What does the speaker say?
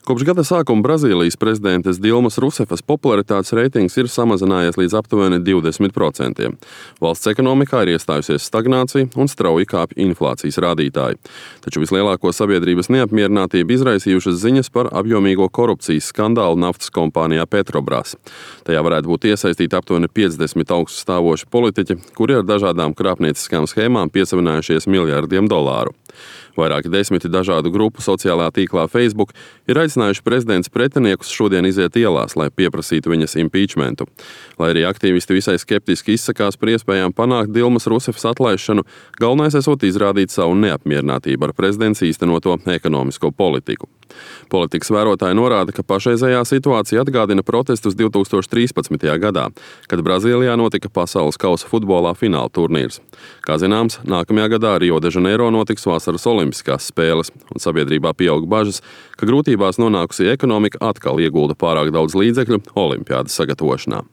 Kopš gada sākuma Brazīlijas prezidentes Dilmas Rusefas popularitātes reitings ir samazinājies līdz aptuveni 20%. Valsts ekonomikā ir iestājusies stagnācija un strauji kāpj inflācijas rādītāji. Taču vislielāko sabiedrības neapmierinātību izraisījušas ziņas par apjomīgo korupcijas skandālu naftas kompānijā Petrobras. Tajā varētu būt iesaistīti aptuveni 50 augstu stāvoši politiķi, kuri ar dažādām krāpnieciskām schēmām piesavinājušies miljardiem dolāru. Vairāki desmiti dažādu grupu sociālajā tīklā Facebook ir aicinājuši prezidents pretiniekus šodien iziet ielās, lai pieprasītu viņas impeachmentu. Lai arī aktīvisti visai skeptiski izsakās par iespējām panākt Dilmas Rusefas atlaišanu, galvenais esot izrādīt savu neapmierinātību ar prezidents īstenoto ekonomisko politiku. Politikas vērotāji norāda, ka pašreizējā situācija atgādina protestus 2013. gadā, kad Brazīlijā notika pasaules kausa futbolā fināla turnīrs. Kā zināms, nākamajā gadā Rio de Janeiro notiks vasaras olimpiskās spēles, un sabiedrībā pieaug bažas, ka grūtībās nonākusī ekonomika atkal iegulda pārāk daudz līdzekļu olimpiādas sagatavošanā.